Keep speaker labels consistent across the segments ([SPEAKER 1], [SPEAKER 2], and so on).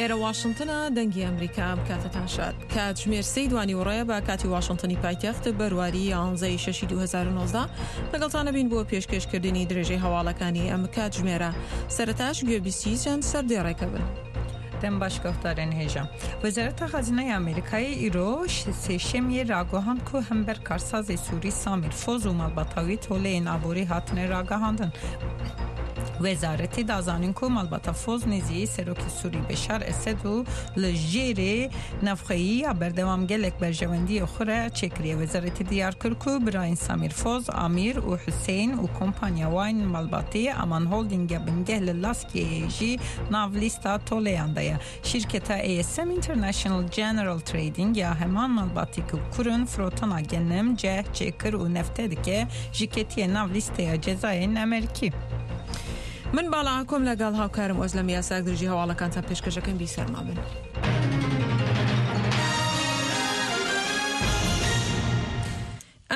[SPEAKER 1] ئێرە واشنتنە دەنگی ئەمریکا ئەم کاتەتان شاد کاتژمێر سێی دوانیوەڕۆیە بە کاتی واشنتنی پایتەخت بەرواری یانزەی شەشی 2019 لەگەڵتانە بین بۆ پێشکێشکردنی درێژەی هەواڵەکانی ئەم کاتژمێرە سەرەتاش گوێبیستی چەند سەردێڕێکە بن.
[SPEAKER 2] دەم باش guhdarên hêja. Wezareta Xezîneya Amerîkayê îro sêşemiyê ragihand ku hember karsazê Sûrî Samîr Foz û malbata wî toleyên aborî hatine ragihandin. Wezaretê da zanîn ku malbata Foz nêzî Serokê Sûrî Beşar Esed û li jêrê navxweyî ya berdewam gelek berjewendiyê xwe re çêkiriye. Wezaretê diyar kir ku birayên Samîr Foz, Amîr û Huseyîn û kompanya wan malbatê Aman Holding ya bingeh li Laskiyeyê jî nav lîsta toleyan de ye. Şîrketa ASM International General Trading ya heman malbatî ku kurên firotana genim, ceh, çêkir û nefte dike, ji ketiye nav lîsteya cezayên Amerîkî.
[SPEAKER 1] من باڵا ئاکۆم لەگەڵ هاوکارم ئۆزلەم یاساک درێژی هەواڵەکانتان پێشکەشەکەم بیسەرما بن.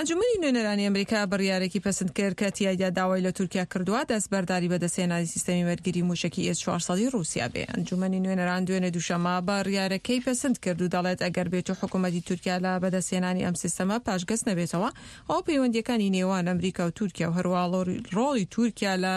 [SPEAKER 1] ئەنجومەنی نوێنەرانی ئەمریکا بڕیارێکی پەسند کرد کە تیایدا داوای لە تورکیا کردووە دەستبەرداری بەدەستهێنانی سیستەمی بەرگری مووشەکی ئێس 400 ی ڕووسیا بێ. ئەنجومەنی نوێنەران دوێنێ دووشەممە بڕیارەکەی پەسند کرد و دەڵێت ئەگەر بێتو حکوومەتی تورکیا لە بەدەستهێنانی ئەم سیستەمە پاشگەز نەبێتەوە ئەوە پەیوەندییەکانی نێوان ئەمریکا و تورکیا و هەروەها ڕۆڵی تورکیا لە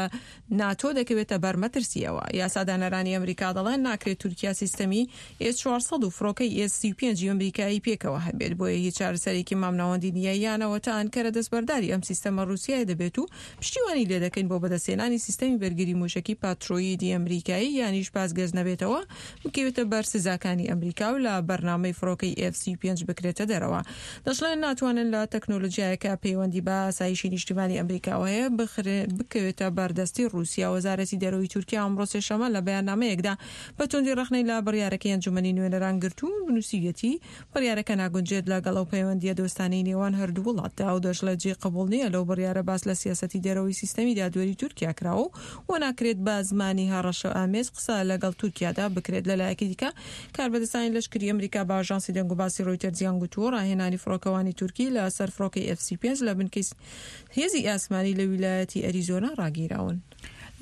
[SPEAKER 1] ناتۆ دەکەوێتە بەر مەترسییەوە. یاسادانەرانی ئەمریکا دەڵێن ناکرێت تورکیا سیستەمی ئێس 400 و فڕۆکەی ئێس 35 ی ئەمریکایی پێکەوە هەبێت، بۆیە هیچ چارەسەرێکی مامناوەندی نییە یانەوە تا ئەنکەرە دەستبەرداری ئەم سیستەمە ڕووسیایە دەبێت و پشتیوانی لێدەکەین بۆ بەدەستهێنانی سیستەمی بەرگری مووشەکی پاترۆیدی ئەمریکایی یانیش پاسگەز نەبێتەوە بکەوێتە بەر سزاکانی ئەمریکا و لە بەرنامەی فڕۆکەی ئێف 35 بکرێتە دەرەوە. دەشڵێن ناتوانن لە تەکنۆلۆجیایەک کە پەیوەندی بە ئاسایشی نیشتیمانی ئەمریکاوە هەیە بکەوێتە بەردەستی ڕووسیا. وەزارەتی دەرەوەی تورکیا ئەمڕۆ سێشەممە لە بەیاننامەیەکدا بە توندی ڕەخنەی لە بڕیارەکەی ئەنجومەنی نوێنەران گرت و نووسیویەتی بڕیارەکە ناگونجێت لەگەڵ ئەو پەیوەندییە دۆستانەی نێوان هەردوو وڵاتدا و دەشڵێت جێی قبوڵ نییە لەو بڕیارە باس لە سیاسەتی دەرەوەی سیستەمی دادوەری تورکیا کراوە و ناکرێت بە زمانی هەڕەشەئامێز قسە لەگەڵ تورکیادا بکرێت. لەلایەکی دیکە کاربەدەستانی لەشکری ئەمریکا بە ئاژانسی دەنگوباسی ڕۆیتەرزیان گوتووە ڕاهێنانی فڕۆکەوانی تورکی لە سەر فڕۆکەی ئێف 35 لە بنکەی هێزی ئاسمانی لە ویلایەتی ئەریزۆنا ڕاگیراون.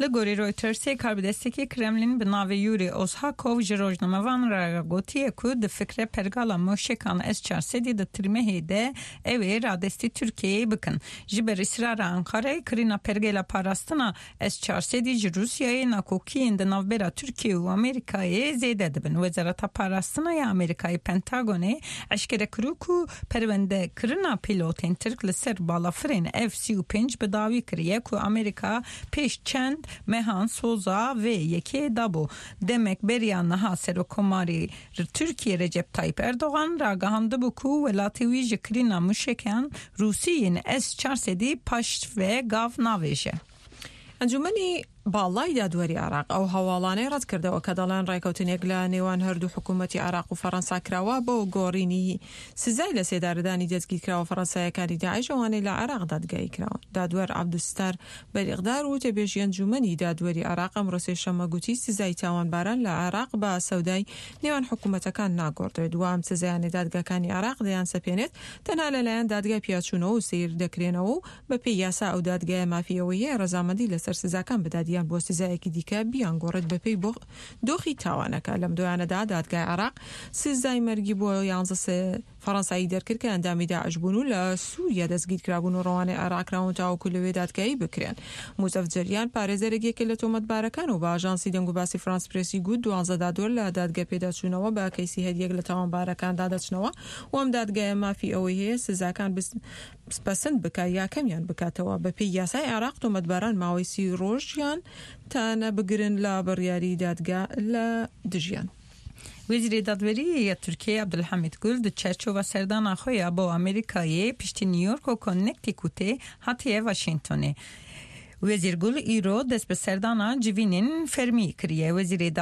[SPEAKER 2] لە گۆری رۆیتەرسێ کاربەدەستێکی کرێملین bi navê Yuri Ozhakov ji rojnamevan re gotiye ku difikre pergala moşekan S 400 di tirmehê de ew ê radestî Tirkiyeyê bikin. Ji ber îsrara Enqereyê kirîna pergela parastina S 400 ji Rûsyayê nakokiyên di navbera Tirkiye û Amerîkayê zêde dibin. Wezareta Parastina ya Amerîkayê Pentagonê eşkere kirû ku perwendekirina pîlotên Tirk li ser balafirên F 35 bi dawî kiriye ku Amerîka pêş çend mehan soza vê yekê dabû. Demek beriya niha Serokkomarê Tirkiyê Recep Tayyip Erdogan ragihandibû ku welatê wî ji kirîna mûşekan Rûsî yên S 400 paş ve gav navêje.
[SPEAKER 1] ئەنجومەنی باڵای دادوەری عێراق ئەو هەواڵانەی ڕەتکردەوە کە دەڵێن ڕێکەوتنێک لە نێوان هەردوو حکوومەتی عێراق و فەرەنسا کراوە بۆ گۆڕینی سزای لەسێدارەدانی دەستگیرکراوە فەرەنساییەکانی داعش ئەوانەی لە عێراق دادگایی کراون. دادوەر عەبدولستار بەریقدار وتەبێژی ئەنجوومەنی دادوەری عێراق ئەمڕۆ سێشەممە گوتی سزای تاوانباران لە عێراق بە سەودای نێوان حکوومەتەکان ناگۆڕدرێت و ئەم سزایانەی دادگاکانی عێراق دەیانسەپێنێت تەنها لەلایەن دادگای پیاچوونەوە و سەیر دەکرێنەوە و بەپێی یاسا ئەو دادگایە مافی ئەوەی هەیە ڕەزامەندی لەسەر سزاکان بدات یان بۆ سزایەکی دیکە بیانگۆڕێت بەپێی دۆخی تاوانەکە. لەم دوایانەدا دادگای عێراق سزای مەرگی بۆ یانزە فەڕەنسایی دەرکرد کە ئەندامی داعش بوون و لە سووریا دەستگیرکرابوون و ڕەوانەی عێراق کراون تاوەکو لەوێ دادگایی بکرێن. موزەف جەریان پارێزەرێک یەکێ لە تۆمەتبارەکان و بە ئاژانسی دەنگوباسی فرانس پرێسی گوت دوانزە دادوەر لە دادگە پێداچوونەوە بە کەیسی هەریەک لە تاوانبارەکاندا دەچنەوە و ئەم دادگایە مافی ئەوەی هەیە سزاکان پەسند بکات یا کەمیان بکاتەوە. بەپێی یاسای عێراق تۆمەتباران ماوەی سی ڕۆژیان تانە بگرن لە بڕیاری دادگا لە دژیان.
[SPEAKER 2] Wezîrê Dadweriyê ya Tirkiyeyê Abdulhamît Gul di çerçova serdana xwe ya bo Amerîkayê piştî New York û Connecticutê hatiye Washingtonê. Wezîr Gul îro dest bi serdana civînên fermî kiriye. Wezîrê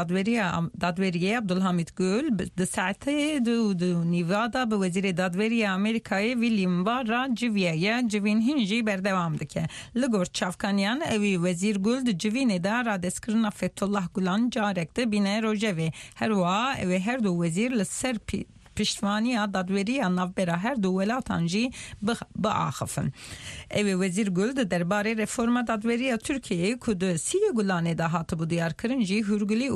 [SPEAKER 2] Dadweriyê Abdulhamît Gul di saetê du û du nîva de bi Wezîrê Dadweriyê Amerîkayê William Barr re civiyaye. Civîn hîn jî berdewam dike. Li gor çavkaniyan ewî Wezîr Gul di civînê de radestkirina Fethullah Gulan carek di bîne rojevê. Her wiha ew ê her du wezîr li ser piştvaniya dadweriya navbera her du welatan jî biaxifin. Ew ê Wezîr Gul di derbarê reforma dadweriya Tirkiyeyê ku di sî Gulanê de hatibû diyarkirin jî hûrgilî û